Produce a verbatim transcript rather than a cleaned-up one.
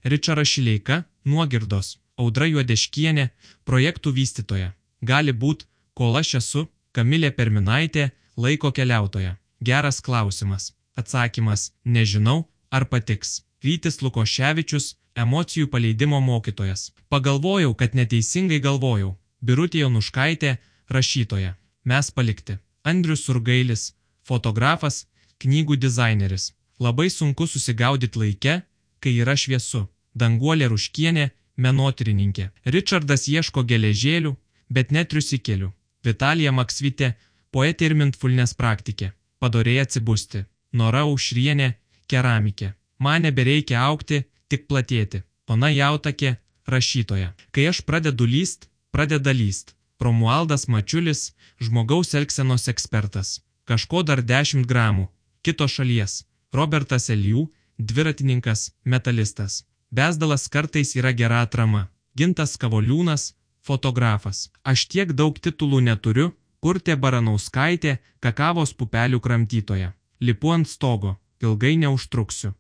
Ričaras Šileika, Nuogirdos, Audra Juodeškienė, projektų vystytoja. Gali būt, kol aš esu, Kamilė Perminaitė, laiko keliautoja. Geras klausimas. Atsakymas, nežinau, ar patiks. Vytis Lukoševičius, emocijų paleidimo mokytojas. Pagalvojau, kad neteisingai galvojau. Birutė Jonuškaitė, rašytoja. Mes palikti. Andrius Surgailis, fotografas, knygų dizaineris. Labai sunku susigaudyti laike, kai yra šviesu. Danguolė Ruškienė, menotyrininkė. Ričardas ieško geležėlių, bet netriusikelių. Vitalija Maksvytė, poetė ir mindfulness praktikė. Padorėja atsibusti. Nora Aušrienė, keramikė. Man nebereikia augti, tik platėti. Ona Jautakė, rašytoja. Kai aš pradedu lyst, pradeda lyst. Romualdas Mačiulis, žmogaus elgsenos ekspertas. Kažko dar dešimt gramų. Kitos šalies. Robertas Elijų, dviratininkas, metalistas. Bezdalas kartais yra gera atrama. Gintas Kavoliūnas, fotografas. Aš tiek daug titulų neturiu, Urtė Baranauskaitė, kakavos pupelių kramtytoja. Lipu ant stogo, ilgai neužtruksiu.